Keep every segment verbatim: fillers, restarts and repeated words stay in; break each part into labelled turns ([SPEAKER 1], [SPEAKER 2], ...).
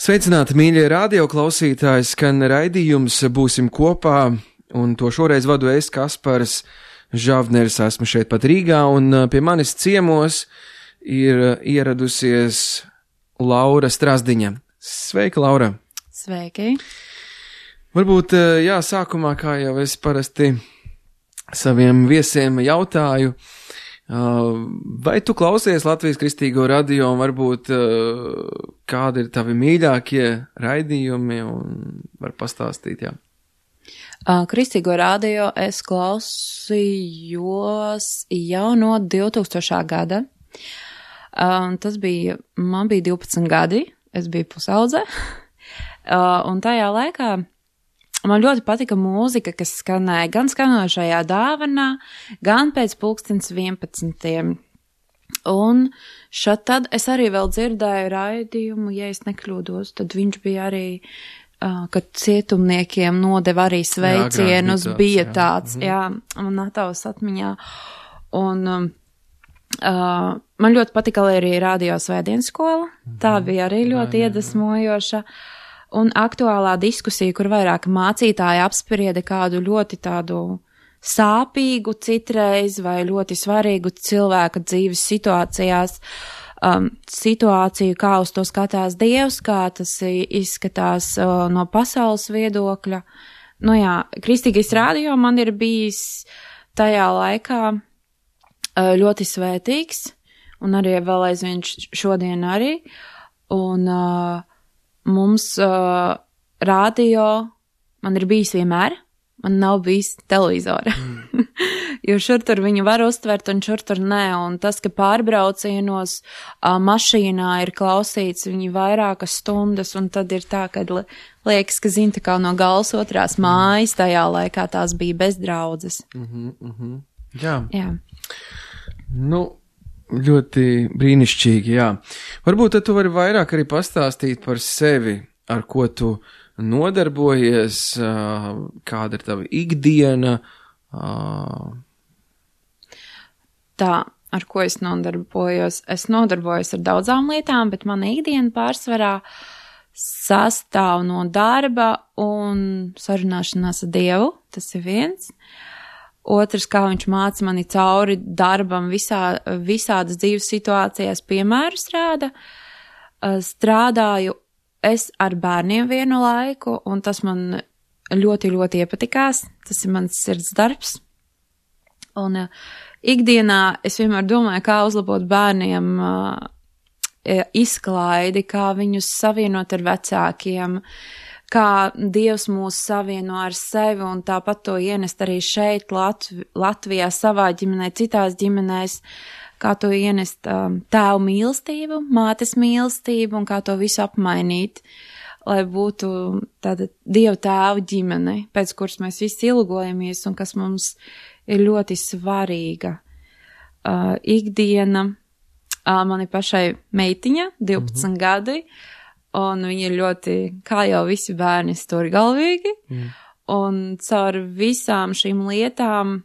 [SPEAKER 1] Sveicināti, mīļie radioklausītāji, skan raidījums Būsim kopā, un to šoreiz vadu es, Kaspars Žavners, esmu šeit pat Rīgā, un pie manis ciemos ir ieradusies Laura Strazdiņa. Sveika, Laura!
[SPEAKER 2] Sveiki!
[SPEAKER 1] Varbūt, jā, sākumā, kā jau es parasti saviem viesiem jautāju, vai tu klausies Latvijas Kristīgo radio, un varbūt kādi ir tavi mīļākie raidījumi, un var pastāstīt, jā?
[SPEAKER 2] Kristīgo radio es klausījos jau no divtūkstošā gada. Tas bija, man bija divpadsmit gadi, es biju pusaudze, un tajā laikā man ļoti patika mūzika, kas skanēja gan skanošajā dāvanā, gan pēc pulkstens vienpadsmitiem. Un šad tad es arī vēl dzirdēju raidījumu, ja es nekļūdos, tad viņš bija arī, uh, kad cietumniekiem nodeva arī sveicienus, jā, bija tāds, jā, jā man atavas atmiņā. Un um, uh, man ļoti patika arī radio svētdienas skola, mhm. tā bija arī ļoti jā, iedvesmojoša. Un aktuālā diskusija, kur vairāk mācītāji apsprieda kādu ļoti tādu sāpīgu citreiz vai ļoti svarīgu cilvēka dzīves situācijās, um, situāciju, kā uz to skatās Dievs, kā tas izskatās uh, no pasaules viedokļa. Nu jā, Kristīgais radio man ir bijis tajā laikā uh, ļoti svētīgs, un arī vēl aizvien šodien arī, un uh, mums uh, radio man ir bijis vienmēr, man nav bijis televizora, mm. jo šur tur viņu var uztvert un šur tur nē, un tas, ka pārbraucienos uh, mašīnā ir klausīts viņi vairākas stundas, un tad ir tā, ka liekas, ka zina tā kā no gals otrās mājas, tajā laikā tās bija bezdraudzes.
[SPEAKER 1] Mm-hmm, mm-hmm. Jā.
[SPEAKER 2] Jā.
[SPEAKER 1] Nu, ļoti brīnišķīgi, jā. Varbūt tad tu vari vairāk arī pastāstīt par sevi, ar ko tu nodarbojies, kāda ir tava ikdiena.
[SPEAKER 2] Tā, ar ko es nodarbojos? Es nodarbojos ar daudzām lietām, bet mana ikdiena pārsvarā sastāv no darba un sarunāšanās ar Dievu, tas ir viens. Otrs, kā viņš māca mani cauri darbam visā, visādas dzīves situācijās piemērus rāda. Strādāju es ar bērniem vienu laiku, un tas man ļoti, ļoti iepatikās. Tas ir mans sirds darbs. Un uh, ikdienā es vienmēr domāju, kā uzlabot bērniem uh, izklaidi, kā viņus savienot ar vecākiem, kā Dievs mūs savieno ar sevi, un tāpat to ienest arī šeit, Latv- Latvijā, savā ģimenē, citās ģimenēs, kā to ienest um, tēvu mīlestību, mātes mīlestību, un kā to visu apmainīt, lai būtu tāda Dieva tēva ģimene, pēc kuras mēs visi ilgojamies, un kas mums ir ļoti svarīga. Uh, ikdiena, uh, man ir pašai meitiņa, divpadsmit mm-hmm. gadi, un viņi ir ļoti, kā jau visi bērni, stūrgalvīgi, mm. un caur visām šīm lietām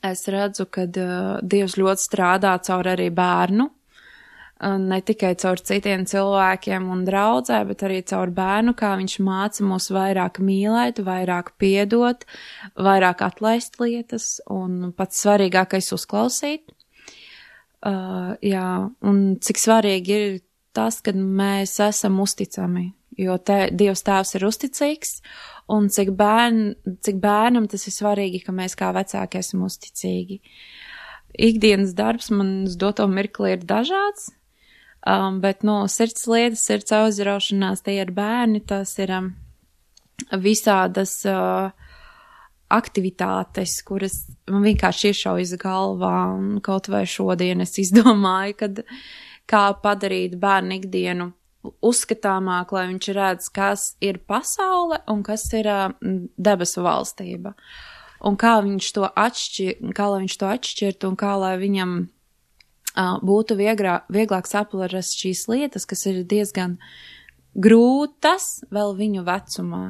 [SPEAKER 2] es redzu, ka uh, Dievs ļoti strādā caur arī bērnu, uh, ne tikai caur citiem cilvēkiem un draudzē, bet arī caur bērnu, kā viņš māca mūs vairāk mīlēt, vairāk piedot, vairāk atlaist lietas, un pats svarīgākais uzklausīt. Uh, jā, un cik svarīgi ir tas, kad mēs esam uzticami, jo te, Dievs tēvs ir uzticīgs, un cik, bērn, cik bērnam tas ir svarīgi, ka mēs kā vecāki esam uzticīgi. Ikdienas darbs man uz doto mirkli ir dažāds, um, bet no sirds lietas, sirds auzraušanās, tie ir bērni, tas ir um, visādas uh, aktivitātes, kuras man vienkārši iešaujas galvā, un kaut vai šodien es izdomāju, kad kā padarīt bērnu ikdienu uzskatāmāk, lai viņš redz, kas ir pasaule un kas ir uh, debesu valstība. Un kā viņš to atšķir, kā lai viņš to atšķirtu un kā lai viņam uh, būtu viegrā, vieglāk saprast šīs lietas, kas ir diezgan grūtas vēl viņu vecumā.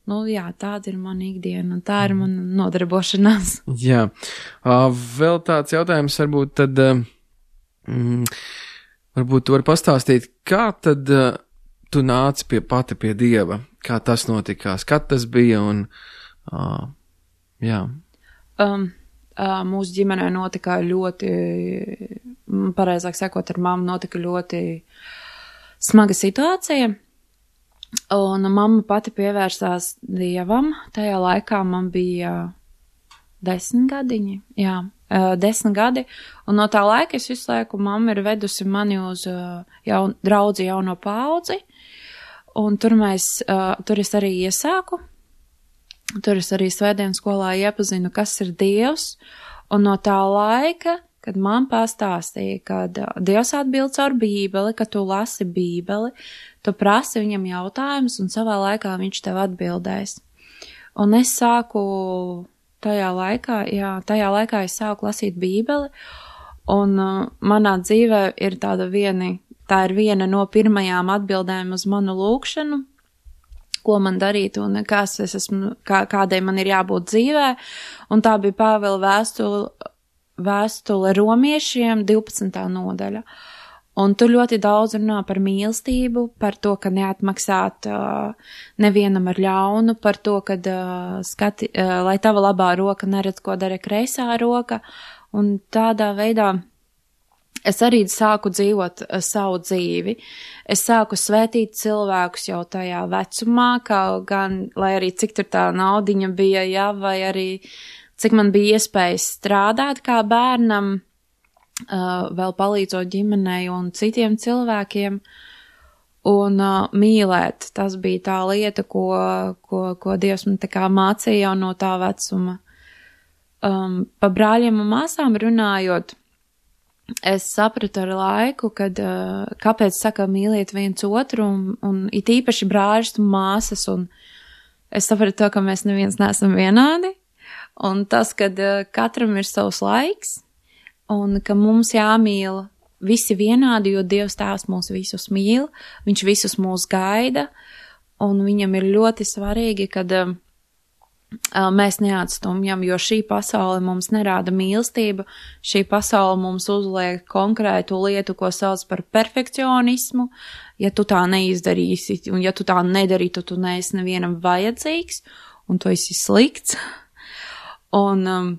[SPEAKER 2] Nu jā, tāda ir mana ikdiena un tā ir mana nodarbošanās.
[SPEAKER 1] Jā, uh, vēl tāds jautājums varbūt tad... Uh, mm, Varbūt tu vari pastāstīt, kā tad uh, tu nāci pie pati pie Dieva? Kā tas notikās? Kad tas bija un, uh, jā.
[SPEAKER 2] Um, uh, mūsu ģimenē notika ļoti, pareizāk sakot, ar mammu notika ļoti smaga situācija. Un mamma pati pievērsās Dievam. Tajā laikā man bija desmit gadiņi, jā, uh, desmit gadi. Un no tā laika es visu laiku mamma ir vedusi mani uz uh, jaun, draudzi jauno paudzi. Un tur mēs, uh, tur es arī iesāku. Tur es arī svētdienas skolā iepazinu, kas ir Dievs. Un no tā laika, kad man pastāstīja, kad uh, Dievs atbild caur Bībeli, ka tu lasi Bībeli, tu prasi viņam jautājumus, un savā laikā viņš tev atbildēs. Un es sāku tajā laikā, jā, tajā laikā es sāku lasīt Bībeli, un uh, manā dzīvē ir tāda vieni, tā ir viena no pirmajām atbildēm uz manu lūkšanu, ko man darīt un kas es esmu, kā, kādai man ir jābūt dzīvē, un tā bija Pāvila vēstule, vēstule romiešiem divpadsmitā nodaļa. Un tur ļoti daudz runā par mīlestību, par to, ka neatmaksāt uh, nevienam ar ļaunu, par to, ka uh, skati, uh, lai tava labā roka neredz, ko dara kreisā roka, un tādā veidā es arī sāku dzīvot uh, savu dzīvi. Es sāku svētīt cilvēkus jau tajā vecumā, kaut gan, lai arī cik tur tā naudiņa bija, jā, vai arī cik man bija iespējas strādāt kā bērnam, Uh, vēl palīdzot ģimenei un citiem cilvēkiem, un uh, mīlēt. Tas bija tā lieta, ko, ko, ko Dievs man tā kā mācīja jau no tā vecuma. Um, pa brāļiem un māsām runājot, es sapratu ar laiku, kad, uh, kāpēc saka mīliet viens otru, un, un it īpaši brāļus un māsas, un es sapratu to, ka mēs neviens neesam vienādi, un tas, kad uh, katram ir savs laiks, un ka mums jāmīl visi vienādi, jo Dievs tēvs mūs visus mīl, viņš visus mūs gaida, un viņam ir ļoti svarīgi, kad uh, mēs neatstumjam, jo šī pasaule mums nerāda mīlestību, šī pasaule mums uzliek konkrētu lietu, ko sauc par perfekcionismu, ja tu tā neizdarīsi, un ja tu tā nedarītu, tu neesi nevienam vajadzīgs, un tu esi slikts, un um,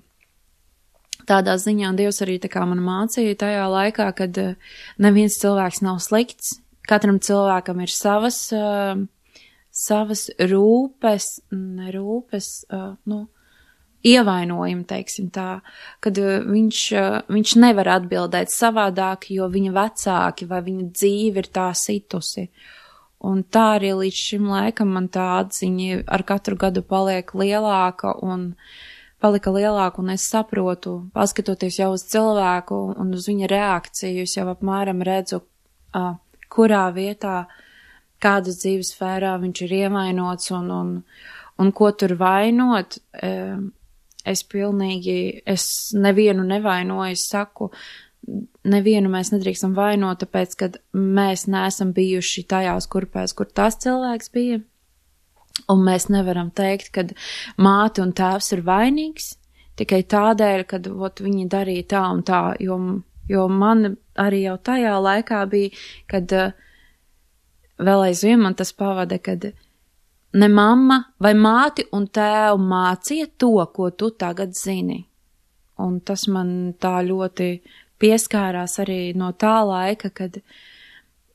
[SPEAKER 2] tādā ziņā Dievs arī tā kā man mācīja tajā laikā, kad uh, neviens cilvēks nav slikts, katram cilvēkam ir savas, uh, savas rūpes, ne rūpes, uh, nu, ievainojumi, teiksim tā, kad uh, viņš, uh, viņš nevar atbildēt savādāk, jo viņa vecāki vai viņa dzīve ir tā situsi. Un tā arī līdz šim laikam man tā atziņa ar katru gadu paliek lielāka un palika lielāka, un es saprotu, paskatoties jau uz cilvēku un uz viņa reakciju, es jau apmēram redzu, uh, kurā vietā, kādas dzīves sfērā viņš ir ievainots un, un, un ko tur vainot. Uh, es pilnīgi, es nevienu nevainoju, es saku, nevienu mēs nedrīkstam vainot, tāpēc, kad mēs neesam bijuši tajās kurpēs, kur tas cilvēks bija. Un mēs nevaram teikt, ka māte un tēvs ir vainīgs tikai tādēļ, kad ot, viņi darīja tā un tā, jo, jo man arī jau tajā laikā bija, kad uh, vēl aizvien man tas pavada, kad ne mamma vai māti un tēvu mācīja to, ko tu tagad zini. Un tas man tā ļoti pieskārās arī no tā laika, kad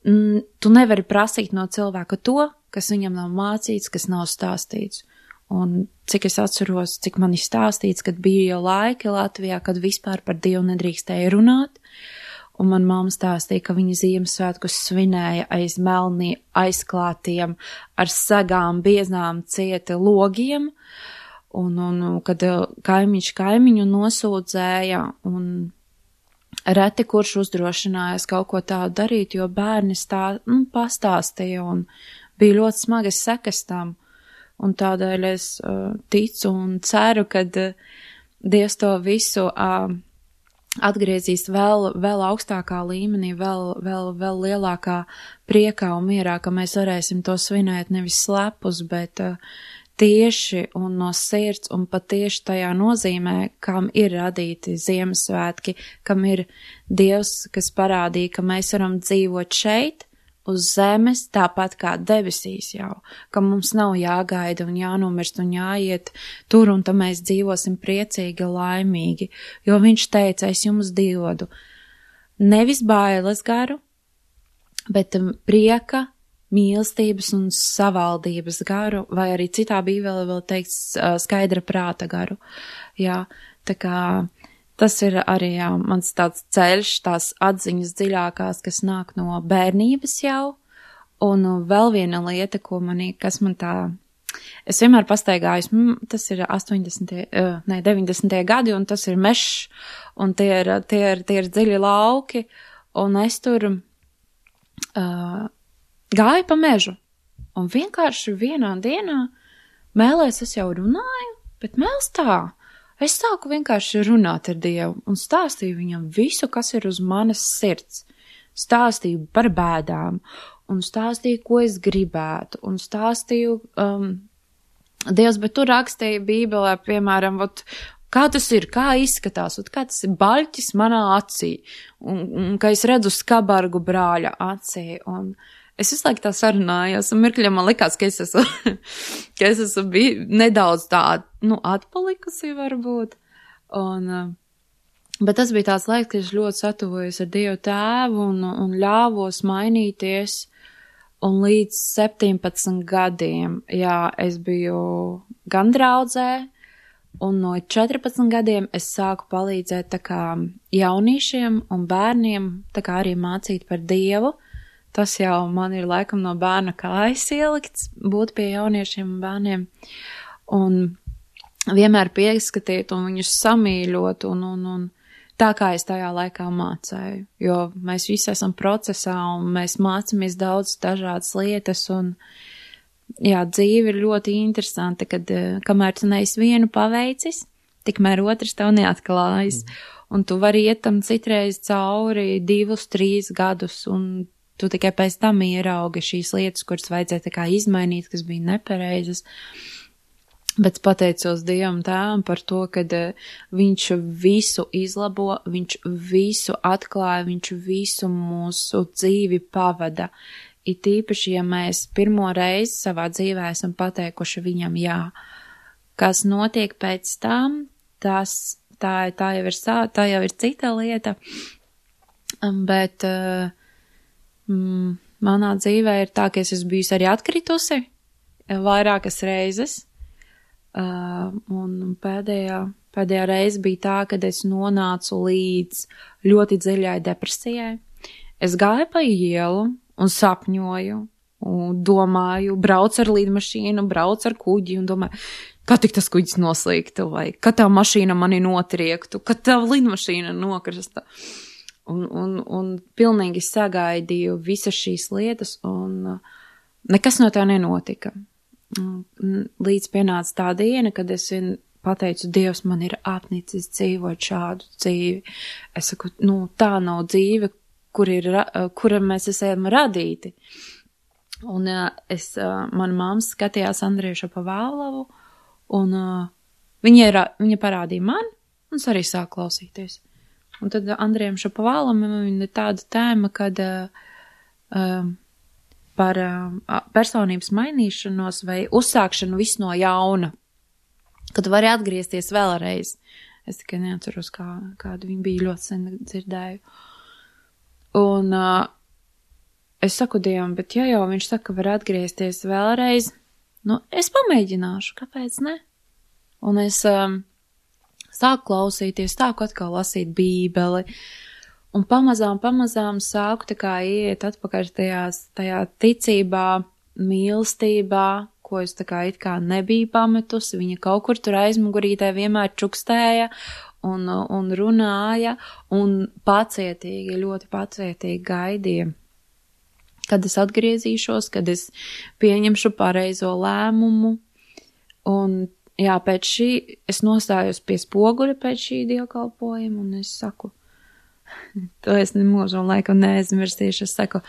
[SPEAKER 2] mm, tu nevari prasīt no cilvēka to, kas viņam nav mācīts, kas nav stāstīts. Un cik es atceros, cik man ir stāstīts, kad bija jau laiki Latvijā, kad vispār par Dievu nedrīkstēja runāt, un man mamma stāstīja, ka viņa Ziemassvētkus svinēja aiz melnī aizklātiem ar sagām bieznām cieti logiem, un, un kad kaimiņš kaimiņu nosūdzēja, un reti kurš uzdrošinājās kaut ko tādu darīt, jo bērni stā, nu, pastāstīja, un bija ļoti smagas sekas tam, un tādēļ es uh, ticu un ceru, ka uh, Dievs to visu uh, atgriezīs vēl, vēl augstākā līmenī, vēl, vēl, vēl lielākā priekā un mierā, ka mēs varēsim to svinēt nevis slepus, bet uh, tieši un no sirds un patieši tajā nozīmē, kam ir radīti Ziemassvētki, kam ir Dievs, kas parādīja, ka mēs varam dzīvot šeit, uz zemes, tāpat kā debesīs jau, ka mums nav jāgaida un jānomirst un jāiet tur, un tam mēs dzīvosim priecīgi, laimīgi, jo viņš teica, es jums dodu nevis bailes garu, bet prieka, mīlestības un savaldības garu, vai arī citā bībelē vēl teikts skaidra prāta garu. Jā, tā kā tas ir arī jā, mans tāds ceļš, tās atziņas dziļākās, kas nāk no bērnības jau, un vēl viena lieta, ko manī, kas man tā, es vienmēr pastaigājos, tas ir astoņdesmitie, ne, deviņdesmitie gadi, un tas ir mešs, un tie ir, tie ir, tie ir dziļi lauki, un es tur uh, gāju pa mežu, un vienkārši vienā dienā mēlēs es jau runāju, bet mēls tā, es sāku vienkārši runāt ar Dievu un stāstīju viņam visu, kas ir uz manas sirds. Stāstīju par bēdām un stāstīju, ko es gribētu un stāstīju, um, Dievs, bet tu rakstīji Bībelē, piemēram, ot, kā tas ir, kā izskatās, ot, kā tas ir baļķis manā acī un, un ka es redzu skabargu brāļa acī un es visu laiku tā sarunājos, un mirkļiem man likās, ka es esmu, ka es esmu biju nedaudz tā, nu, atpalikusi varbūt. Un, bet tas bija tāds laiks, ka es ļoti satuvojos ar Dievu tēvu un, un ļāvos mainīties. Un līdz septiņpadsmit gadiem, jā, es biju gan draudzē, un no četrpadsmit gadiem es sāku palīdzēt tā kā jauniešiem un bērniem, tā kā arī mācīt par Dievu. Tas jau man ir laikam no bērna kājas ielikts, būt pie jauniešiem un bērniem. Un vienmēr pieskatīt un viņus samīļot un, un, un tā kā es tajā laikā mācēju. Jo mēs visi esam procesā un mēs mācamies daudz dažādas lietas un jā, dzīve ir ļoti interesanta, kad kamēr tu neesi vienu paveicis, tikmēr otrs tev neatklājas. Mm. Un tu vari iet tam citreiz cauri divus, trīs gadus un tu tikai pēc tam ieraugi šīs lietas, kuras vajadzēja tā kā izmainīt, kas bija nepareizas. Bet pateicos Dievam tēvam par to, kad viņš visu izlabo, viņš visu atklāja, viņš visu mūsu dzīvi pavada. It īpaši, ja mēs pirmo reizi savā dzīvē esam pateikuši viņam jā. Kas notiek pēc tam, tas, tā, tā, jau, ir, tā jau ir cita lieta. Bet Mm, manā dzīvē ir tā, ka es esmu bijusi arī atkritusi vairākas reizes, uh, un pēdējā, pēdējā reize bija tā, kad es nonācu līdz ļoti dziļai depresijai. Es gāju pa ielu un sapņoju, un domāju, braucu ar lidmašīnu, braucu ar kuģi un domāju, kā tik tas kuģis noslīgtu, vai ka tā mašīna mani notriektu, ka tā lidmašīna nokrasta. Un, un, un pilnīgi sagaidīju visas šīs lietas, un nekas no tā nenotika. Līdz pienāca tā diena, kad es pateicu, Dievs, man ir apnicis dzīvot šādu dzīvi. Es saku, nu, tā nav dzīve, kur ir, kura mēs esam radīti. Un es, mana mamma skatījās Andriju Šapovallovu, un viņa, ir, viņa parādīja man, un es arī sāku klausīties. Un tad Andrijam Šapovallam ir tāda tēma, kad uh, par uh, personības mainīšanos vai uzsākšanu visu no jauna, kad tu vari atgriezties vēlreiz. Es tikai neatceros, kā, kādu viņa bija ļoti sen dzirdēju. Un uh, es saku Dievam, bet ja jau viņš saka, var atgriezties vēlreiz, nu, es pamēģināšu, kāpēc ne? Un es... Um, sāku klausīties, sāku atkal lasīt Bībeli, un pamazām, pamazām sāku tā kā iet atpakaļ tajās, tajā ticībā, mīlestībā, ko es tā kā it kā nebiju pametusi, viņa kaut kur tur aizmugurītē vienmēr čukstēja un, un runāja, un pacietīgi, ļoti pacietīgi gaidīja, kad es atgriezīšos, kad es pieņemšu pareizo lēmumu, un jā, pēc šī, es nostājos pie spoguļa pēc šī dievkalpojuma, un es saku, to es nemūžam laikam neaizmirstīšu, es saku,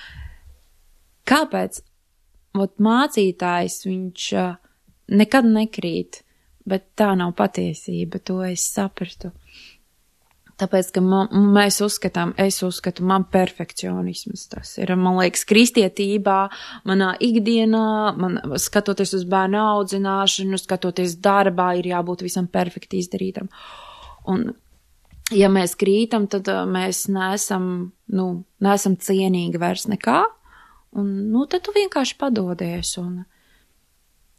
[SPEAKER 2] kāpēc, ot mācītājs, viņš uh, nekad nekrīt, bet tā nav patiesība, to es sapratu. Tāpēc, ka man, mēs uzskatām, es uzskatu, man perfekcionisms tas ir, man liekas, kristietībā, manā ikdienā, man skatoties uz bērnu audzināšanu, skatoties darbā, ir jābūt visam perfekti izdarītam. Un, ja mēs krītam, tad mēs neesam, nu, neesam cienīgi vairs nekā, un, nu, tad tu vienkārši padodies, un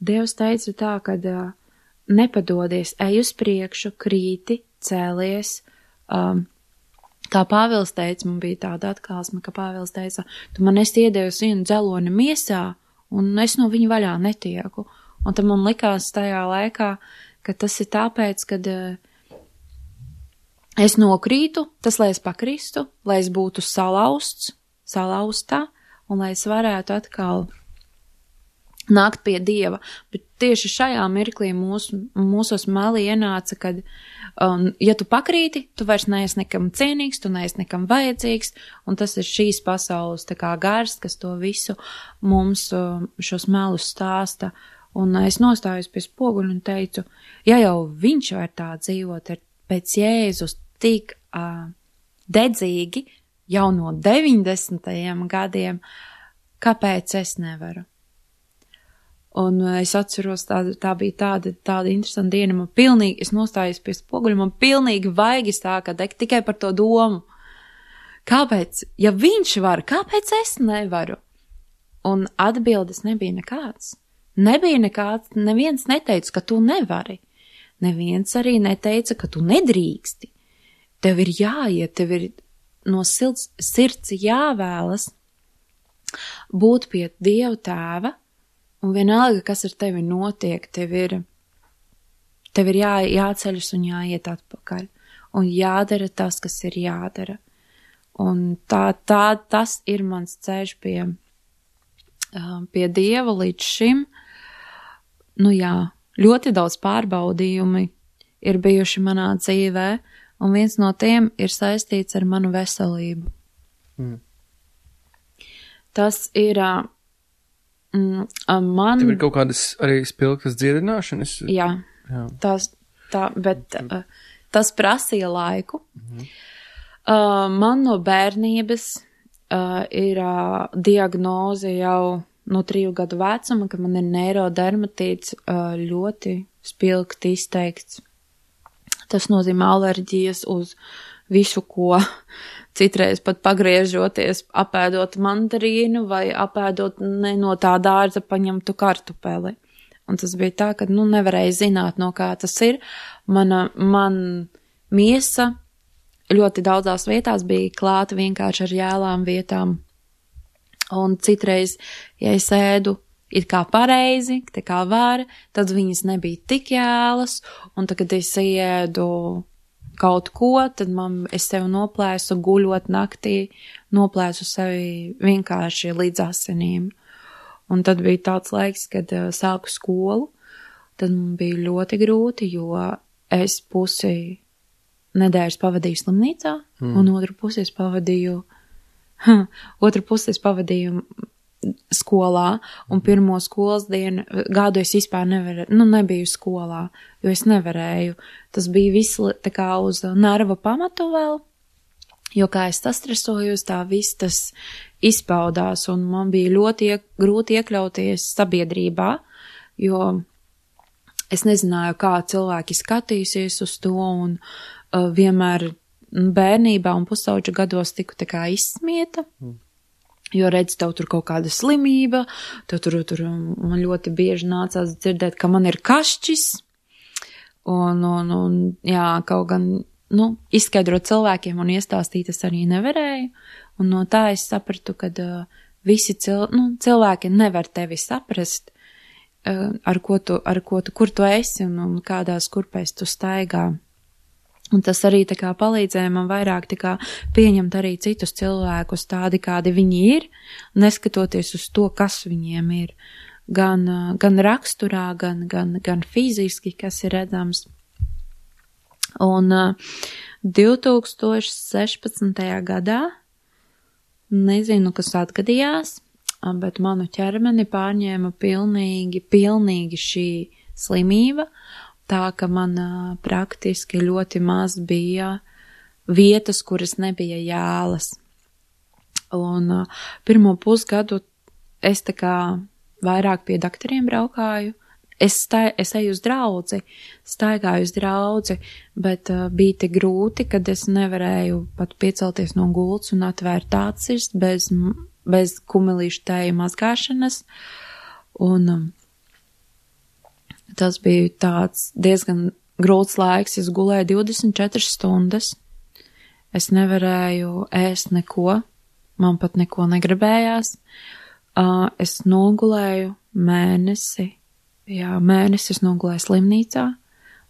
[SPEAKER 2] Dievs teica tā, kad nepadodies, ej uz priekšu, krīti, cēlies. Um, kā Pāvils teica, man bija tāda atklāsme, ka Pāvils teica, tu man esi iedevis vienu dzeloni miesā, un es no viņa vaļā netieku. Un tad man likās tajā laikā, ka tas ir tāpēc, kad uh, es nokrītu, tas, lai es pakristu, lai es būtu salausts, salaustā, un lai es varētu atkal nākt pie Dieva. Bet tieši šajā mirklī mūs, mūsos mali ienāca, kad Um, ja tu pakrīti, tu vairs neesi nekam cienīgs, tu neesi nekam vajadzīgs, un tas ir šīs pasaules tā kā gars, kas to visu mums um, šos melus stāsta. Un es nostājos pie spoguļa un teicu, ja jau viņš var tā dzīvot ar pēc Jēzus tik uh, dedzīgi jau no deviņdesmitajiem gadiem, kāpēc es nevaru? Un es atceros, tā, tā bija tāda, tāda interesanta diena, man pilnīgi, es nostājos pie spoguļa, man pilnīgi vaigi stāka degt tikai par to domu. Kāpēc? Ja viņš var, kāpēc es nevaru? Un atbildes nebija nekāds. Nebija nekāds, neviens neteica, ka tu nevari. Neviens arī neteica, ka tu nedrīksti. Tev ir jāiet, tev ir no sirds, sirds jāvēlas būt pie Dieva tēva. Un vienalga, kas ar tevi notiek, tev ir, tev ir jā, jāceļas un jāiet atpakaļ. Un jādara tas, kas ir jādara. Un tā, tā, tas ir mans ceļš pie, pie Dieva līdz šim. Nu jā, ļoti daudz pārbaudījumi ir bijuši manā dzīvē, un viens no tiem ir saistīts ar manu veselību. Mm. Tas ir... Mm, man...
[SPEAKER 1] Tev ir kaut kādas arī spilgtas dziedināšanas?
[SPEAKER 2] Jā, Jā. Tas, tā, bet uh, tas prasīja laiku. Mhm. Uh, man no bērnības uh, ir uh, diagnoze jau no triju gadu vecuma, ka man ir neirodermatīts uh, ļoti spilgti izteikts. Tas nozīmē alerģijas uz visu, ko... Citreiz pat pagriežoties, apēdot mandarīnu vai apēdot ne no tā dārza paņemtu kartupeli. Un tas bija tā, ka, nu, nevarēja zināt, no kā tas ir. Mana, man miesa ļoti daudzās vietās bija klāta vienkārši ar jēlām vietām. Un citreiz, ja es ēdu it kā pareizi, tā kā var, tad viņas nebija tik jēlas, un tad, kad es iedu kaut ko, tad man, es sev noplēsu guļot naktī, noplēsu sevi vienkārši līdz asinīm. Un tad bija tāds laiks, kad uh, sāku skolu, tad man bija ļoti grūti, jo es pusi nedēļas pavadīju slimnīcā, mm. un otru pusi es pavadīju, huh, otru pusi es pavadīju skolā, un pirmo skolas dienu gadu es vispār nevarēju, nu nebiju skolā, jo es nevarēju. Tas bija viss tā kā uz nerva pamatu vēl, jo kā es sastresojos, tā viss tas izpaudās, un man bija ļoti iek, grūti iekļauties sabiedrībā, jo es nezināju, kā cilvēki skatīsies uz to, un uh, vienmēr bērnībā un pusauģa gados tiku tā kā izsmieta. Mm. Jo redz, tev tur kaut kāda slimība, tev tur, tur man ļoti bieži nācās dzirdēt, ka man ir kašķis, un, un, un jā, kaut gan, nu, izskaidrot cilvēkiem un iestāstīt es arī nevarēju, un no tā es sapratu, ka uh, visi cil, nu, cilvēki nevar tevi saprast, uh, ar ko tu, ar ko tu, kur tu esi un, un kādās kurpēs tu staigā. Un tas arī tā kā palīdzēja man vairāk tā kā pieņemt arī citus cilvēkus tādi, kādi viņi ir, neskatoties uz to, kas viņiem ir. Gan, gan raksturā, gan, gan, gan fiziski, kas ir redzams. Un divi tūkstoši sešpadsmitajā gadā, nezinu, kas atgadījās, bet manu ķermeni pārņēma pilnīgi, pilnīgi šī slimība, tā, ka man praktiski ļoti maz bija vietas, kuras nebija jēlas. Un uh, pirmo pusgadu es tā kā vairāk pie daktariem braukāju. Es, stai, es eju uz draudzi, staigāju uz draudzi, bet uh, bija tik grūti, kad es nevarēju pat piecelties no gultas un atvērt acis bez, bez kumelīšu tēju mazgāšanas. Un um, tas bija tāds diezgan grūts laiks. Es gulēju divdesmit četras stundas. Es nevarēju ēst neko. Man pat neko negribējās. Uh, es nogulēju mēnesi. Jā, mēnesis nogulēju slimnīcā,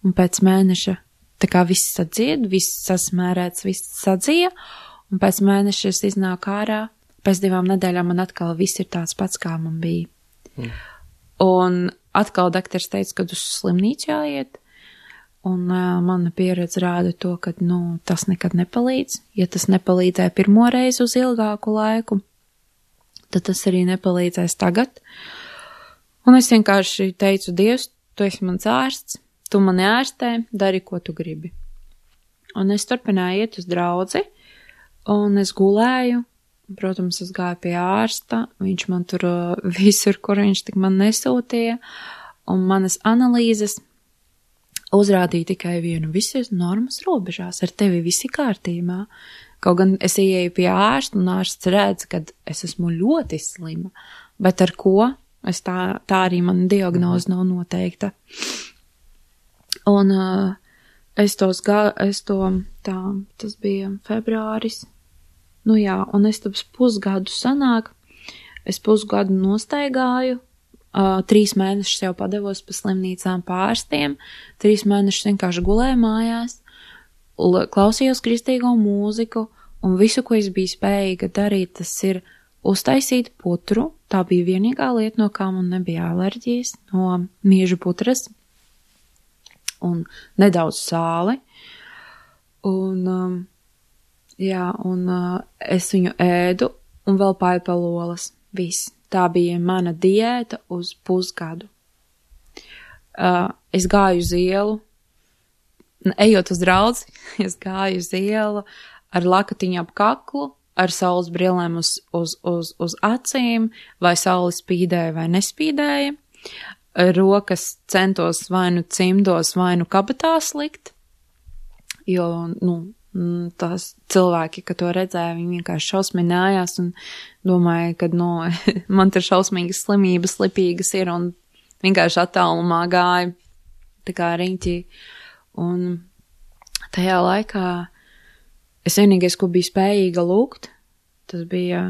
[SPEAKER 2] un pēc mēneša tā kā viss sadzied, viss sasmērēts, viss sadzija, un pēc mēneša es iznāku ārā, pēc divām nedēļām man atkal viss ir tāds pats, kā man bija. Mm. Un atkal daktars teica, ka uz slimnīcu jāiet, un uh, mana pieredze rāda to, ka, nu, tas nekad nepalīdz. Ja tas nepalīdzēja pirmo reizi uz ilgāku laiku, tad tas arī nepalīdzēs tagad. Un es vienkārši teicu, Dievs, tu esi mans ārsts, tu mani ārstē, dari, ko tu gribi. Un es turpināju iet uz draudzi, un es gulēju, protams, es gāju pie ārsta, viņš man tur visur, kur viņš tik man nesūtīja, un manas analīzes uzrādīja tikai vienu, visas normas robežās, ar tevi visi kārtībā. Kaut gan es ieeju pie ārsta, un ārsts redz, ka es esmu ļoti slima, bet ar ko? Es tā, tā arī mana diagnoze nav noteikta. Un uh, es tos gā, es to, tā, tas bija februāris, nu jā, un es tos pusgadu sanāk, es pusgadu nostaigāju, uh, trīs mēnešus jau padevos pa slimnīcām pārstiem, trīs mēnešus vienkārši gulēju mājās, klausījos kristīgo mūziku, un visu, ko es biju spējīga darīt, tas ir uztaisīt putru. Tā bija vienīgā lieta, no kā man nebija alerģijas, no miežu putras un nedaudz sāli. Un, um, jā, un uh, es viņu ēdu un vēl paipalolas. Viss. Tā bija mana diēta uz pusgadu. Uh, es gāju uz ielu, ejot uz draudzi, es gāju uz ielu ar lakatiņu ap kaklu, ar saules brillēm uz, uz, uz, uz acīm, vai saule spīdēja vai nespīdēja. Rokas centos vai nu cimdos, vai nu kabatās likt, jo, nu, tās cilvēki, ka to redzēja, viņi vienkārši šausminājās un domāja, ka, nu, man tur šausmīgas slimības, lipīgas ir, un vienkārši attālumā gāja, tā kā riņķī. Un tajā laikā es vienīgais, ko biju spējīga lūgt, tas bija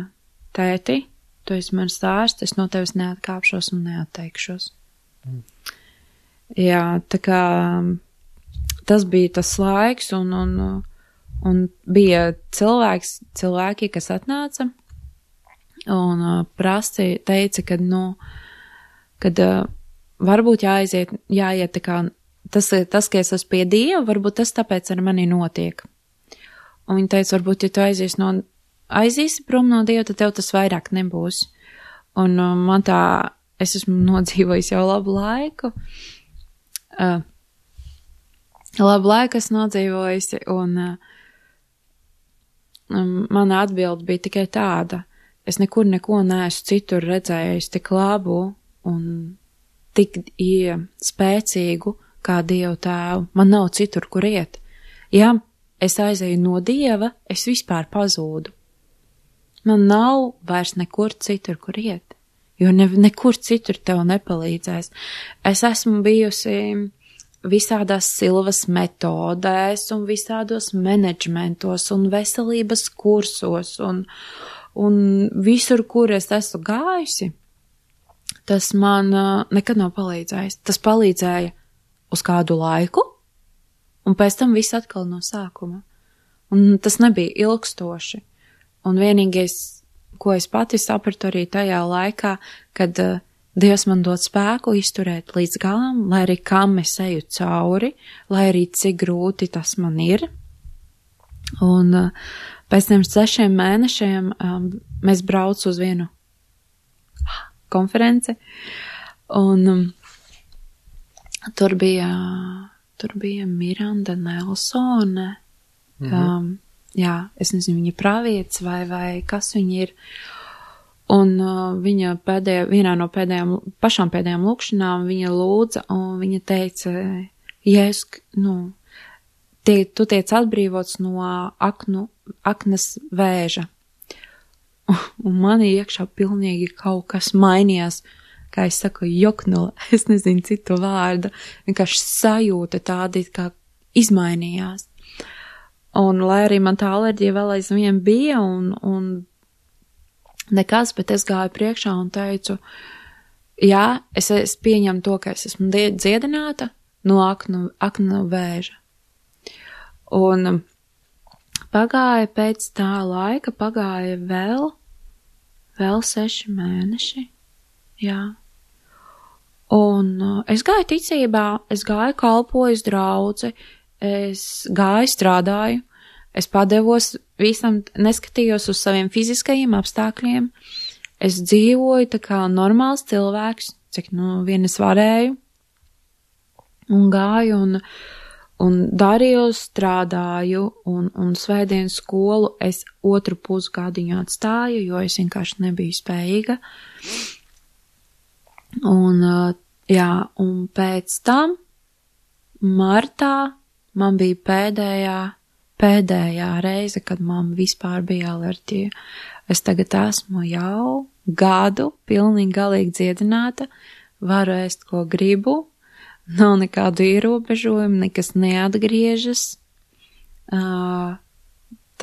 [SPEAKER 2] tēti, tu esi mans ārsts, es no tevis neatkāpšos un neatteikšos. Mm. Jā, tā kā tas bija tas laiks, un, un, un bija cilvēks, cilvēki, kas atnāca un prasti teica, ka, nu, kad varbūt jāaiziet, jāiet tā kā, tas, tas, ka es esmu pie Dieva, varbūt tas tāpēc ar mani notiek. Un viņa teica, varbūt, ja tu aizies no, aizīsi prom no Dieva, tad tev tas vairāk nebūs. Un uh, man tā, es esmu nodzīvojis jau labu laiku. Uh, labu laiku esmu nodzīvojusi, un uh, um, mana atbilde bija tikai tāda. Es nekur neko neesmu citur redzējis tik labu un tik ie, spēcīgu kā Dievu tēvu. Man nav citur, kur iet. Jā, es aizēju no Dieva, es vispār pazūdu. Man nav vairs nekur citur, kur iet, jo ne, nekur citur tev nepalīdzēs. Es esmu bijusi visādās silvas metodēs un visādos menedžmentos un veselības kursos un, un visur, kur es esmu gājusi, tas man uh, nekad nav palīdzējis. Tas palīdzēja uz kādu laiku, un pēc tam viss atkal no sākuma. Un tas nebija ilgstoši. Un vienīgais, ko es pati sapratu arī tajā laikā, kad uh, Dievs man dod spēku izturēt līdz galam, lai arī kam es eju cauri, lai arī cik grūti tas man ir. Un uh, pēc tiem sešiem mēnešiem um, mēs braucu uz vienu konferenci, un um, tur bija... Tur bija Miranda Nelsone, Mhm. Um, jā, es nezinu, viņa pravietis vai, vai kas viņa ir. Un uh, viņa pēdējā, vienā no pēdējām, pašām pēdējām lūkšanām viņa lūdza, un viņa teica, Jēzus, nu, tie, tu tiec atbrīvots no aknu, aknas vēža. Un man iekšā pilnīgi kaut kas mainījās, kā es saku, joknula, es nezinu citu vārdu, vienkārši sajūta tādi, kā izmainījās. Un lai arī man tā alerģija vēl aizvien bija un, un nekas, bet es gāju priekšā un teicu, jā, es, es pieņemu to, ka es esmu dziedināta no aknu, aknu vēža. Un pagāja pēc tā laika, pagāja vēl, vēl seši mēneši, jā. Un uh, es gāju ticībā, es gāju kalpoju uz draudzi, es gāju strādāju, es padevos visam, neskatījos uz saviem fiziskajiem apstākļiem, es dzīvoju tā kā normāls cilvēks, cik nu vien es varēju, un gāju un, un darīju, strādāju, un, un svētdienas skolu es otru pusgadiņu atstāju, jo es vienkārši nebiju spējīga. Un, jā, un pēc tam martā man bija pēdējā, pēdējā reize, kad man vispār bija alerģija. Es tagad esmu jau gadu pilnīgi galīgi dziedināta, varu ēst, ko gribu, nav nekādu ierobežojumu, nekas neatgriežas.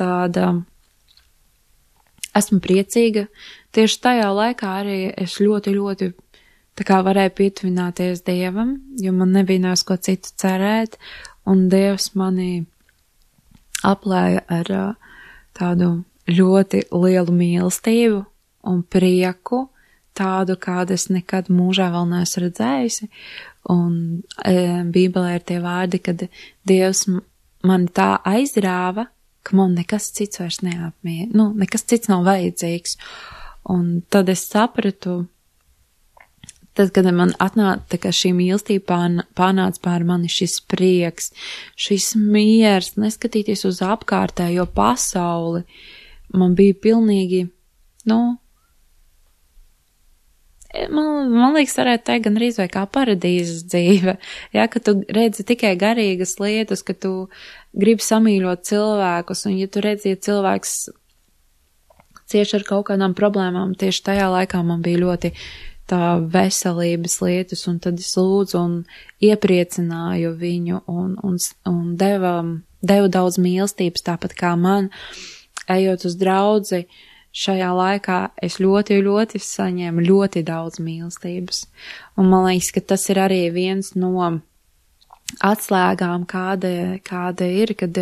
[SPEAKER 2] Tāda, esmu priecīga. Tieši tajā laikā arī es ļoti, ļoti tā kā varēju pietuvināties Dievam, jo man nebija nāc ko citu cerēt, un Dievs mani aplēja ar uh, tādu ļoti lielu mīlestību un prieku, tādu, kādu es nekad mūžā vēl neesmu redzējusi, un e, Bībelē ir tie vārdi, kad Dievs man tā aizrāva, ka man nekas cits vairs neapmie, nu, nekas cits nav vajadzīgs, un tad es sapratu, tad, kad man atnāca, ka šī mīlestība pārnāca pār mani, šis prieks, šis miers, neskatīties uz apkārtējo pasauli, man bija pilnīgi, nu, man, man liekas, varētu teikt gan arī vai kā paradīzes dzīve, ja, ka tu redzi tikai garīgas lietas, ka tu gribi samīļot cilvēkus, un ja tu redzi, ja cilvēks cieši ar kaut kādām problēmām, tieši tajā laikā man bija ļoti tā veselības lietas, un tad es lūdzu un iepriecināju viņu un, un, un deva, devu daudz mīlestības, tāpat kā man, ejot uz draudzi, šajā laikā es ļoti, ļoti saņēmu ļoti daudz mīlestības. Un man liekas, ka tas ir arī viens no atslēgām, kāda, kāda ir, kad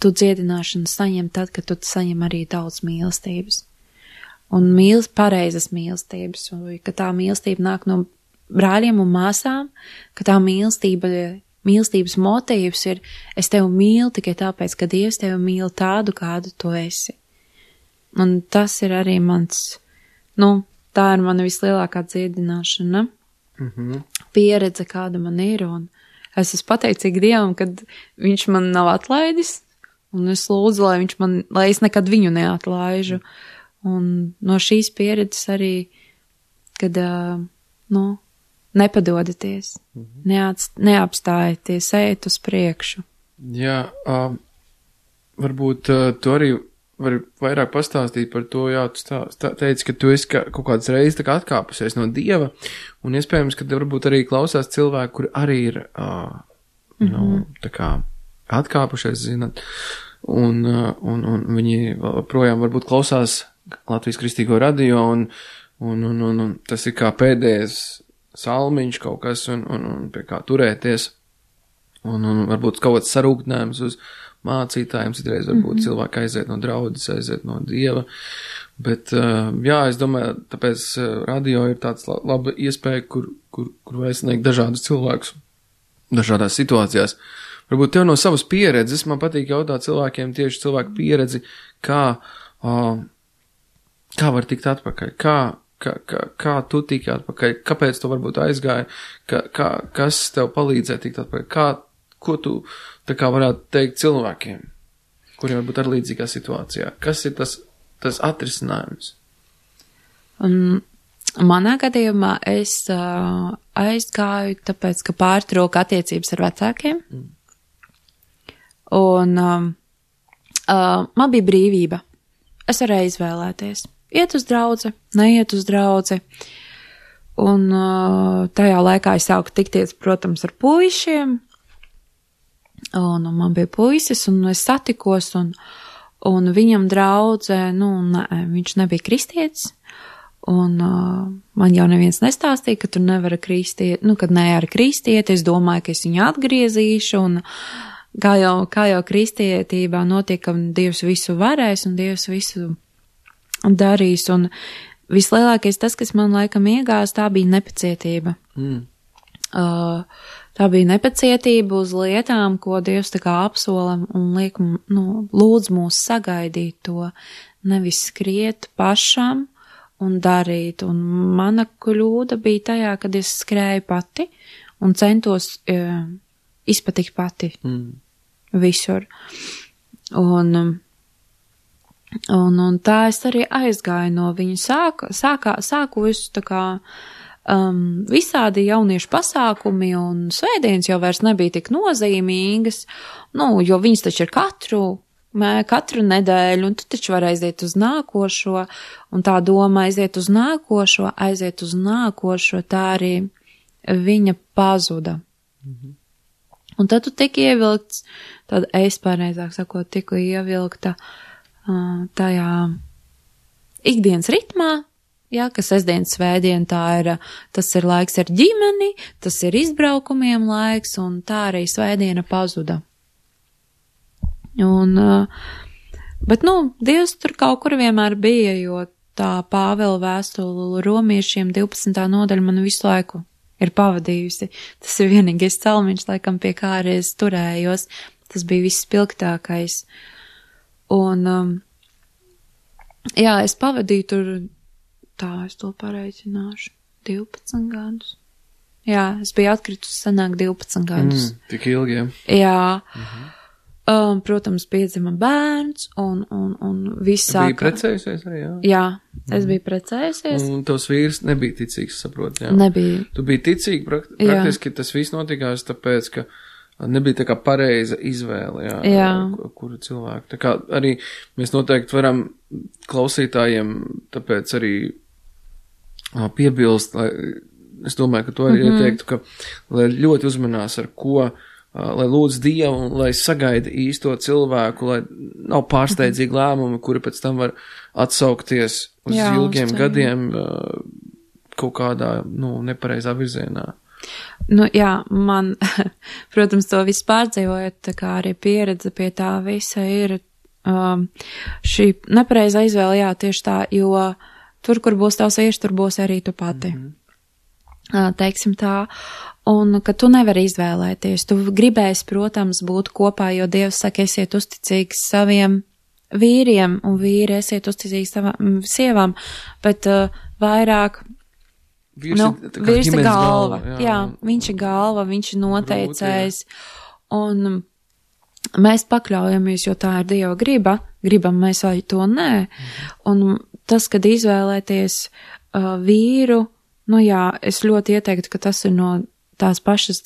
[SPEAKER 2] tu dziedināšanu saņem tad, kad tu saņem arī daudz mīlestības. Un mīl, pareizas mīlestības, un ka tā mīlestība nāk no brāļiem un māsām, ka tā mīlestība, mīlestības motīvs ir, es tevi mīlu tikai tāpēc, ka Dievs tevi mīl tādu, kādu tu esi. Un tas ir arī mans, nu, tā ir mana vislielākā dziedināšana, mm-hmm. pieredze, kāda man ir, un es esmu pateicīga Dievam, kad viņš man nav atlaidis, un es lūdzu, lai viņš man, lai es nekad viņu neatlaižu. Un no šīs pieredzes arī, kad, uh, nu, nepadodaties, mm-hmm. neats, neapstājieties, ejiet uz priekšu.
[SPEAKER 1] Jā, uh, varbūt uh, tu arī vari vairāk pastāstīt par to, jā, tu stā, stā, teici, ka tu esi kā, kaut kādas reizes tā kā atkāpusies no Dieva, un iespējams, ka varbūt arī klausās cilvēki, kuri arī ir, uh, mm-hmm. nu, tā kā atkāpušies, zināt, un, uh, un, un viņi projām varbūt klausās Latvijas Kristīgo radio, un, un, un, un, un tas ir kā pēdējais salmiņš kaut kas, un, un, un pie kā turēties, un, un varbūt kaut kāds sarūktinājums uz mācītājiem, citreiz varbūt mm-hmm. cilvēki aiziet no draudzes, aiziet no Dieva, bet, uh, jā, es domāju, tāpēc uh, radio ir tāds la, laba iespēja, kur, kur, kur var sniegt dažādus cilvēkus, dažādās situācijās. Varbūt tev no savas pieredzes, man patīk jautāt cilvēkiem tieši cilvēku pieredzi, kā, uh, kā var tikt atpakaļ, kā, kā, kā, kā tu tiki atpakaļ, kāpēc tu varbūt aizgāji, kā, kā, kas tev palīdzēja tikt atpakaļ, kā, ko tu tā kā varētu teikt cilvēkiem, kuriem varbūt ar līdzīgā situācijā. Kas ir tas, tas atrisinājums?
[SPEAKER 2] Un manā gadījumā es uh, aizgāju, tāpēc, ka pārtrauka attiecības ar vecākiem. Mm. Un um, uh, man bija brīvība. Es varēju izvēlēties. Iet uz draudzi, neiet uz draudzi. Un uh, tajā laikā es sāku tikties, protams, ar puišiem. Un, un man bija puisis, un es satikos, un, un viņam draudze, nu, ne, viņš nebija kristietis. Un uh, man jau neviens nestāstīja, ka tu nevari kristiet, nu, kad ne ar kristieti, es domāju, ka es viņu atgriezīšu, un kā jau, kā jau kristietībā notiek, ka Dievs visu varēs, un Dievs visu darīs, un vislielākais tas, kas man laikam iegās, tā bija nepacietība. Mm. Uh, tā bija nepacietība uz lietām, ko Dievs tā kā apsola un liek, nu, lūdz mūs sagaidīt to, nevis skriet pašam, un darīt, un mana kļūda bija tajā, kad es skrēju pati un centos uh, izpatikt pati mm. visur. Un, un, un tā es arī aizgāju no viņa. Sāku, sākā, sāku visu tā kā um, visādi jauniešu pasākumi, un svētdienas jau vairs nebija tik nozīmīgas, nu, jo viņas taču ir katru Mē, katru nedēļu, un tu taču var aiziet uz nākošo, un tā doma aiziet uz nākošo, aiziet uz nākošo, tā arī viņa pazuda. Mm-hmm. Un tad tu tik ievilkts, tad es pareizāk sakot, tiku ievilkta uh, tajā ikdienas ritmā, jā, ka sestdienas svētdien tā ir, tas ir laiks ar ģimeni, tas ir izbraukumiem laiks, un tā arī svētdiena pazuda. Un, bet, nu, Dievs tur kaut kur vienmēr bija, jo tā Pāvela vēstule romiešiem divpadsmitā nodaļa man visu laiku ir pavadījusi. Tas ir vienīgais celmiņš, laikam, pie kā arī es turējos. Tas bija viss spilgtākais. Un, um, jā, es pavadīju tur, tā, es to pareicināšu, divpadsmit gadus. Jā, es biju atkritusi sanāk divpadsmit gadus.
[SPEAKER 1] Mm, tik ilgi, jā.
[SPEAKER 2] Jā. Mhm. Um, protams, piedzima bērns un, un, un viss sāka.
[SPEAKER 1] Tu biji precējusies arī, jā?
[SPEAKER 2] Jā, es mm. biju precējusies.
[SPEAKER 1] Un tavs vīrs nebija ticīgs, saprot, jā?
[SPEAKER 2] Nebija.
[SPEAKER 1] Tu biji ticīgi, prakt, praktiski jā. Tas viss notikās tāpēc, ka nebija tā kā pareiza izvēle, jā,
[SPEAKER 2] jā.
[SPEAKER 1] Kuru cilvēku. Tā kā arī mēs noteikti varam klausītājiem tāpēc arī piebilst, lai, es domāju, ka to arī mm-hmm. ieteiktu, ka lai ļoti uzmanās ar ko, lai lūdz Dievu un lai sagaida īsto cilvēku, lai nav pārsteidzīgi lēmumi, kuri pēc tam var atsaukties uz jā, ilgiem uz gadiem kaut kādā, nu, nepareizā virzienā.
[SPEAKER 2] Nu, jā, man, protams, to visu pārdzīvojot, tā kā arī pieredze pie tā visa ir um, šī nepareizā izvēle, jā, tieši tā, jo tur, kur būs tavs vīrs, tur būs arī tu pati. Mm-hmm. Uh, teiksim tā. Un, ka tu nevari izvēlēties. Tu gribēsi, protams, būt kopā, jo Dievs saka, esiet uzticīgs saviem vīriem, un vīri esiet uzticīgi savām sievām, bet uh, vairāk
[SPEAKER 1] vīrs,
[SPEAKER 2] nu,
[SPEAKER 1] ir,
[SPEAKER 2] vīrs ir galva.
[SPEAKER 1] galva jā.
[SPEAKER 2] jā, viņš ir galva, viņš ir noteicējis. Un mēs pakļaujamies, jo tā ir Dieva griba, gribam mēs vai to nē. Un tas, kad izvēlēties uh, vīru, nu jā, es ļoti ieteiktu, ka tas ir no tās pašas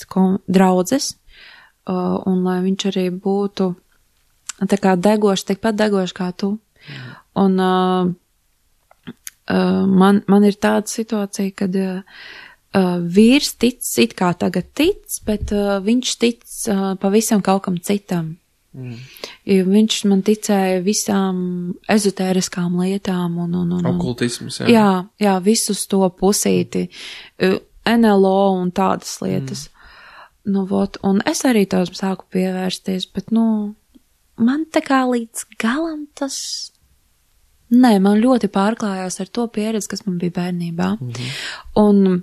[SPEAKER 2] draudzes, uh, un lai viņš arī būtu tā kā degošs, tikpat degošs kā tu. Mm. Un uh, uh, man, man ir tāda situācija, kad uh, uh, vīrs tic, it kā tagad tic, bet uh, viņš tic uh, pavisam kaut kam citam. Mm. Viņš man ticēja visām ezotēriskām lietām un, un, un, un
[SPEAKER 1] okultisms, jā.
[SPEAKER 2] Jā, jā, visus to pusīti. Mm. N L O un tādas lietas. Mm. Nu, vot, un es arī tās sāku pievērsties, bet, nu, man tā kā līdz galam tas, nē, man ļoti pārklājās ar to pieredzi, kas man bija bērnībā. Mm-hmm. Un,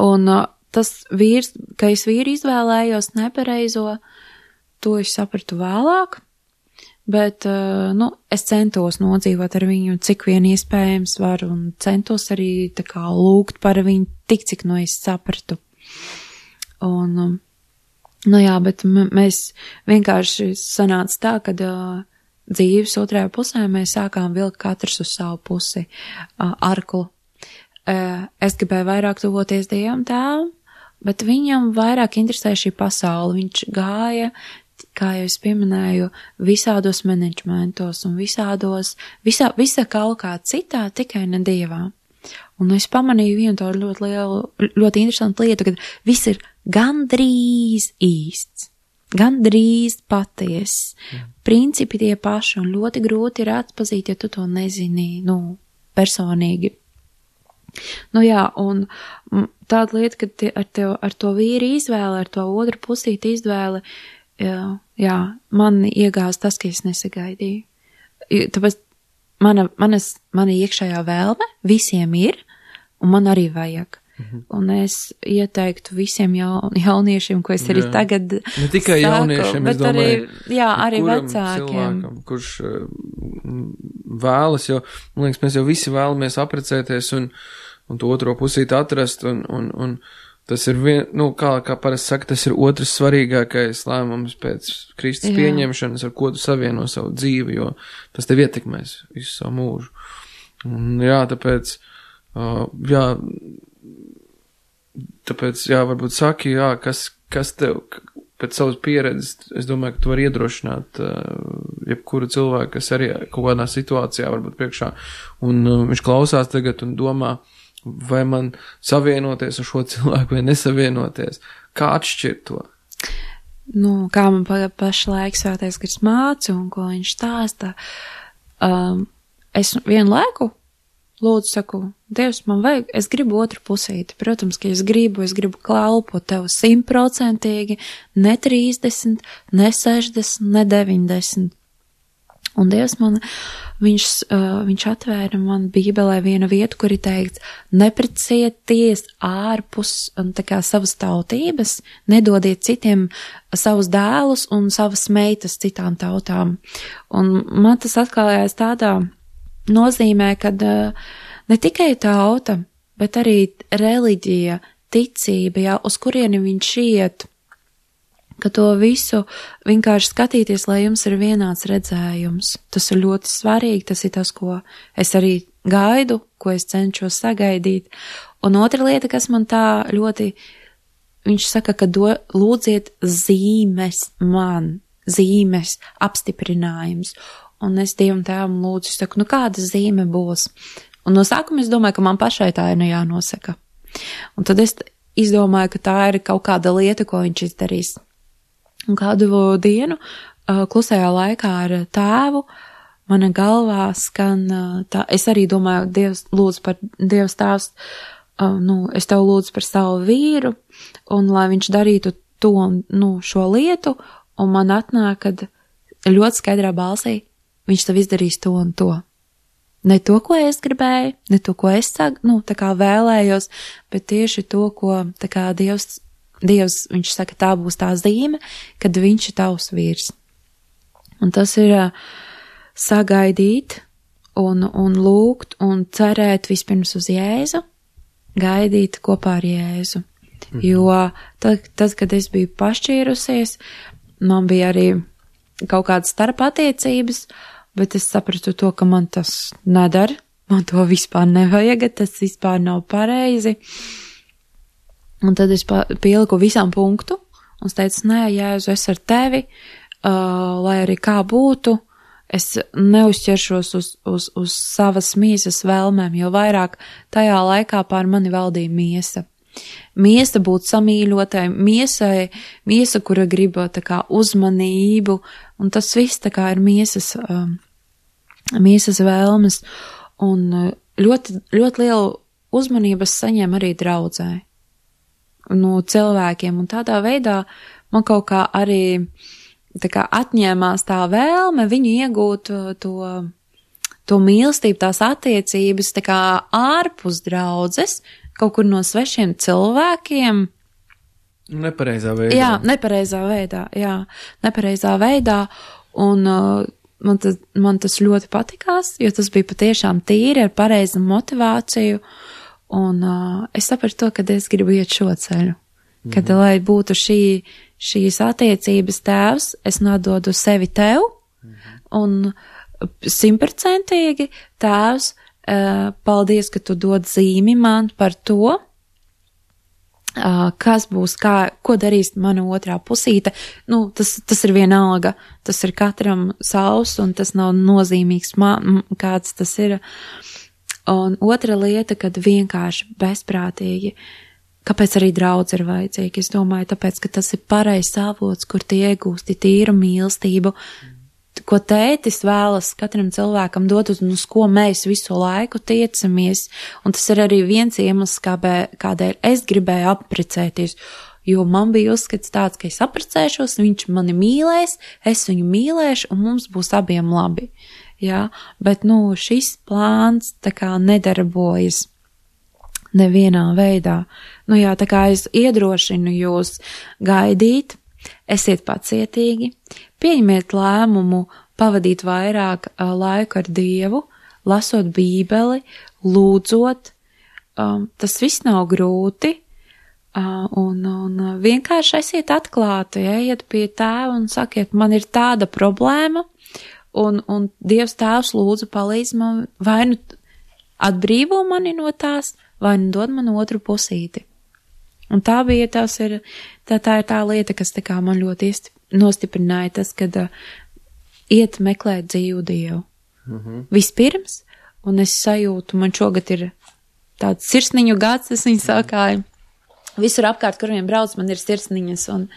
[SPEAKER 2] un tas vīrs, ka es vīru izvēlējos nepareizo, to es sapratu vēlāk, bet, nu, es centos nodzīvot ar viņu, cik vien iespējams var, un centos arī tā kā lūgt par viņu, tik cik no es sapratu. Un Nu jā, bet m- mēs vienkārši sanāca tā, kad uh, dzīves otrajā pusē mēs sākām vilkt katrs uz savu pusi uh, arklu. Uh, es gribēju vairāk tuvoties Dievam tēvam, bet viņam vairāk interesē šī pasaule. Viņš gāja, kā jau es pieminēju, visādos menedžmentos un visādos, visā, visa kaut kā citā, tikai ne Dievā. Un es pamanīju vienu tādu ļoti lielu, ļoti interesantu lietu, kad viss ir gandrīz īsts, gandrīz patiess. Mm. Principi tie paši un ļoti grūti ir atpazīt, ja tu to nezini, nu, personīgi. Nu jā, un tāda lieta, ka tie, ar, tev, ar to vīru izvēle, ar to otru pusīti izvēle, jā, jā, man iegāz tas, ka es nesagaidīju. Tāpēc mana, manas, mana iekšējā vēlme visiem ir, un man arī vajag. Mhm. Un es ieteiktu visiem jaun, jauniešiem, ko es arī jā. tagad
[SPEAKER 1] ne tikai
[SPEAKER 2] saku,
[SPEAKER 1] jauniešiem,
[SPEAKER 2] bet
[SPEAKER 1] es domāju,
[SPEAKER 2] arī, jā, arī vecākiem.
[SPEAKER 1] Cilvēkam, kurš uh, vēlas, jo, man liekas, mēs jau visi vēlamies aprecēties un, un to otro pusīti atrast, un, un, un tas ir vien, nu, kā, kā parasti saka, tas ir otrs svarīgākais lēmums pēc Kristus jā. pieņemšanas, ar ko tu savieno savu dzīvi, jo tas tev ietekmēs visu savu mūžu. Un jā, tāpēc, uh, jā, Tāpēc, jā, varbūt saki, jā, kas, kas tev, pēc savas pieredzes, es domāju, ka tu vari iedrošināt uh, jebkuru cilvēku, kas arī kaut kādā situācijā varbūt priekšā, un uh, viņš klausās tagad un domā, vai man savienoties ar šo cilvēku vai nesavienoties. Kā atšķirt to?
[SPEAKER 2] Nu, kā man pa, pašlaik svētais gars māca un ko viņš stāsta, um, es vienu laiku lūdzu, saku, Dievs, man vajag, es gribu otru pusīti. Protams, ka es gribu, es gribu kalpot tev simtprocentīgi, ne trīsdesmit, ne sešdesmit, ne deviņdesmit. Un Dievs man, viņš, uh, viņš atvēra man Bībelē vienu vietu, kur ir teikts, neprecieties ārpus un tā kā savas tautības, nedodiet citiem savus dēlus un savas meitas citām tautām. Un man tas atklājās tādā nozīmē, kad uh, ne tikai tauta, bet arī reliģija, ticība, jā, uz kurieni viņš iet, ka to visu vienkārši skatīties, lai jums ir vienāds redzējums. Tas ir ļoti svarīgi, tas ir tas, ko es arī gaidu, ko es cenšos sagaidīt. Un otra lieta, kas man tā ļoti, viņš saka, ka do, lūdziet zīmes man, zīmes, apstiprinājums. Un es Dievam tēvam lūdzu, es saku, nu kāda zīme būs? Un no sākuma es domāju, ka man pašai tā ir jānosaka. Un tad es izdomāju, ka tā ir kaut kāda lieta, ko viņš izdarīs. Un kādu dienu klusajā laikā ar tēvu mana galvā skan tā, es arī domāju, Dievs lūdzu par Dievs tēvs, nu, es tev lūdzu par savu vīru, un lai viņš darītu to, nu, šo lietu, un man atnāk, kad ļoti skaidrā balsī, viņš tev izdarīs to un to. Ne to, ko es gribēju, ne to, ko es sag, nu, tā kā vēlējos, bet tieši to, ko, tā kā Dievs, Dievs, viņš saka, tā būs tā zīme, kad viņš ir tavs vīrs. Un tas ir uh, sagaidīt un, un lūgt un cerēt vispirms uz Jēzu, gaidīt kopā ar Jēzu. Mhm. Jo tad, tad, kad es biju pašķīrusies, man bija arī kaut kādas starp attiecības, bet es sapratu to, ka man tas nedara, man to vispār nevajag, tas vispār nav pareizi. Un tad es pieliku visām punktu un es teicu, nē, Jēzu, es ar tevi, uh, lai arī kā būtu, es neuzķeršos uz, uz, uz savas miesas vēlmēm, jo vairāk tajā laikā pār mani valdīja miesa. Miesa būt samīļotai, miesai, miesa, kura grib tā kā uzmanību, un tas viss tā kā ir miesas, um, miesas vēlmes, un ļoti, ļoti lielu uzmanības saņem arī draudzē no cilvēkiem, un tādā veidā man kaut kā arī tā kā atņēmās tā vēlme viņu iegūt to, to mīlestību, tās attiecības tā kā ārpus draudzes, kaut kur no svešiem cilvēkiem.
[SPEAKER 1] Nepareizā veidā.
[SPEAKER 2] Jā, nepareizā veidā, jā, nepareizā veidā, un uh, man, tas, man tas ļoti patikās, jo tas bija patiešām tīri ar pareizu motivāciju, un uh, es sapratu to, ka es gribu iet šo ceļu, kad, mm-hmm. lai būtu šī šīs attiecības tēvs, es nododu sevi tev, un simtprocentīgi tēvs, paldies, ka tu dod zīmi man par to, kas būs, kā, ko darīs mana otrā pusīte. Nu, tas, tas ir vienalga, tas ir katram savs, un tas nav nozīmīgs, kāds tas ir. Un otra lieta, kad vienkārši bezprātīgi, kāpēc arī draudz ir vajadzīgi? Es domāju, tāpēc, ka tas ir pareizs avots, kur tie iegūsti tīru mīlestību, ko tētis vēlas katram cilvēkam dot, un uz ko mēs visu laiku tiecamies. Un tas ir arī viens iemesls, kādēļ es gribēju apprecēties, jo man bija uzskats tāds, ka es apprecēšos, viņš mani mīlēs, es viņu mīlēšu, un mums būs abiem labi. Jā, bet, nu, šis plāns tā kā nedarbojas nevienā veidā. Nu jā, tā kā es iedrošinu jūs gaidīt, esiet pacietīgi, pieņemiet lēmumu pavadīt vairāk uh, laiku ar Dievu, lasot Bībeli, lūdzot, um, tas viss nav grūti, uh, un, un vienkārši esiet atklāti, ejiet pie tēva un sakiet, man ir tāda problēma, Un, un Dievs tēvs lūdzu palīdz man, vai nu atbrīvo mani no tās, vai nu dod man otru pusīti. Un tā bija, tās ir, tā, tā ir tā lieta, kas tā kā man ļoti iesti, nostiprināja tas, kad uh, iet meklēt dzīvu Dievu. Mm-hmm. Vispirms, un es sajūtu, man šogad ir tāds sirsniņu gads, es viņu sākāju. Visur apkārt, kur vien brauc, man ir sirsniņas, un,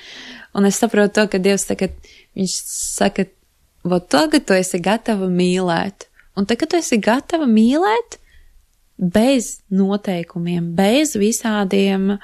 [SPEAKER 2] un es saprotu to, ka Dievs tagad, viņš saka, vot tagad tu esi gatava mīlēt. Un tagad tu esi gatava mīlēt bez noteikumiem, bez visādiem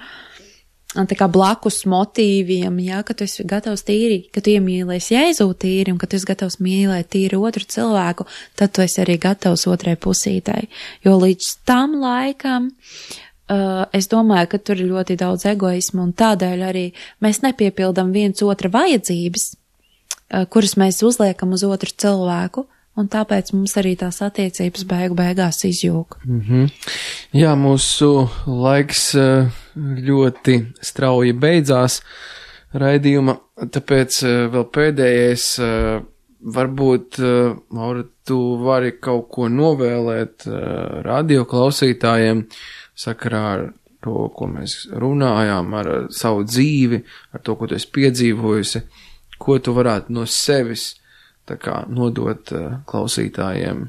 [SPEAKER 2] tā kā blakus motīviem, jā, ka tu esi gatavs tīri, ka tu iemīlēsi Jēzu tīri un ka tu esi gatavs mīlēt tīri otru cilvēku, tad tu esi arī gatavs otrai pusītai. Jo līdz tam laikam uh, es domāju, ka tur ir ļoti daudz egoismu un tādēļ arī mēs nepiepildam viens otra vajadzības, kuras mēs uzliekam uz otru cilvēku, un tāpēc mums arī tās attiecības beigu beigās izjūg.
[SPEAKER 1] Mm-hmm. Jā, mūsu laiks ļoti strauji beidzās raidījuma, tāpēc vēl pēdējais, varbūt, Maura, tu vari kaut ko novēlēt radio klausītājiem sakarā ar to, ko mēs runājām, ar savu dzīvi, ar to, ko tu esi piedzīvojusi. Ko tu varētu no sevis tā kā nodot uh, klausītājiem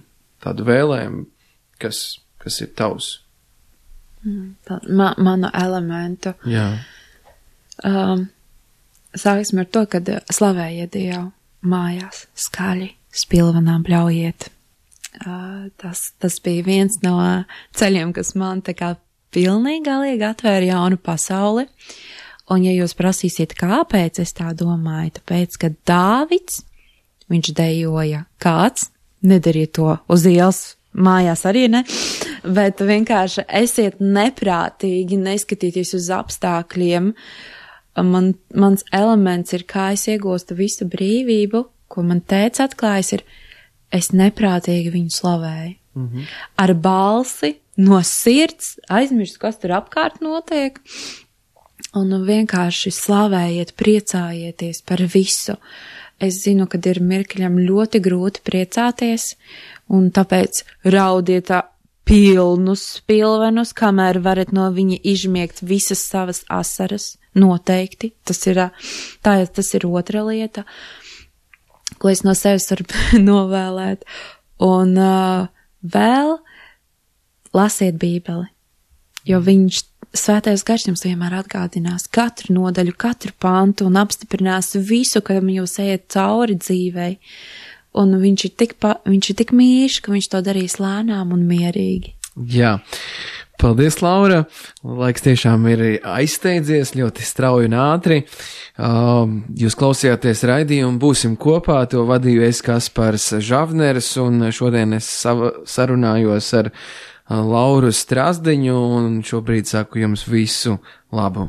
[SPEAKER 1] tādu vēlējumu, kas, kas ir tavs?
[SPEAKER 2] Ma, manu elementu.
[SPEAKER 1] Jā.
[SPEAKER 2] Um, sāksim ar to, kad slavējiet Dievu mājās, skaļi, spilvenām bļaujiet. Uh, tas, tas bija viens no ceļiem, kas man tā kā pilnīgi galīgi atvēra jaunu pasauli. Un ja jūs prasīsiet, kāpēc es tā domāju, tāpēc, ka Dāvids, viņš dejoja kāds, nedariet to uz ielas, mājās arī ne, bet vienkārši esiet neprātīgi, neskatieties uz apstākļiem. Man, mans elements ir, kā es iegūstu visu brīvību, ko man tēvs atklājas, ir, es neprātīgi viņu slavēju. Mm-hmm. Ar balsi, no sirds, aizmirst, kas tur apkārt notiek. Un vienkārši slavējiet, priecājieties par visu. Es zinu, ka ir mirkļam ļoti grūti priecāties, un tāpēc raudiet pilnus pilvenus, kamēr varat no viņa izžmiegt visas savas asaras, noteikti. Tas ir, tā, tas ir otra lieta, ko es no sevis varu novēlēt. Un uh, vēl lasiet Bībeli, jo viņš Svētais gars jums vienmēr atgādinās katru nodaļu, katru pantu un apstiprinās visu, kam jūs ejat cauri dzīvei. Un viņš ir tik, pa, viņš ir tik mīļš, ka viņš to darīs lēnām un mierīgi.
[SPEAKER 1] Jā. Paldies, Laura. Laiks tiešām ir aizsteidzies ļoti strauji un ātri. Uh, jūs klausījāties raidījumu, būsim kopā, to vadīju es Kaspars Žavneris, un šodien es sava, sarunājos ar Lauru Strazdiņu, un šobrīd saku jums visu labu.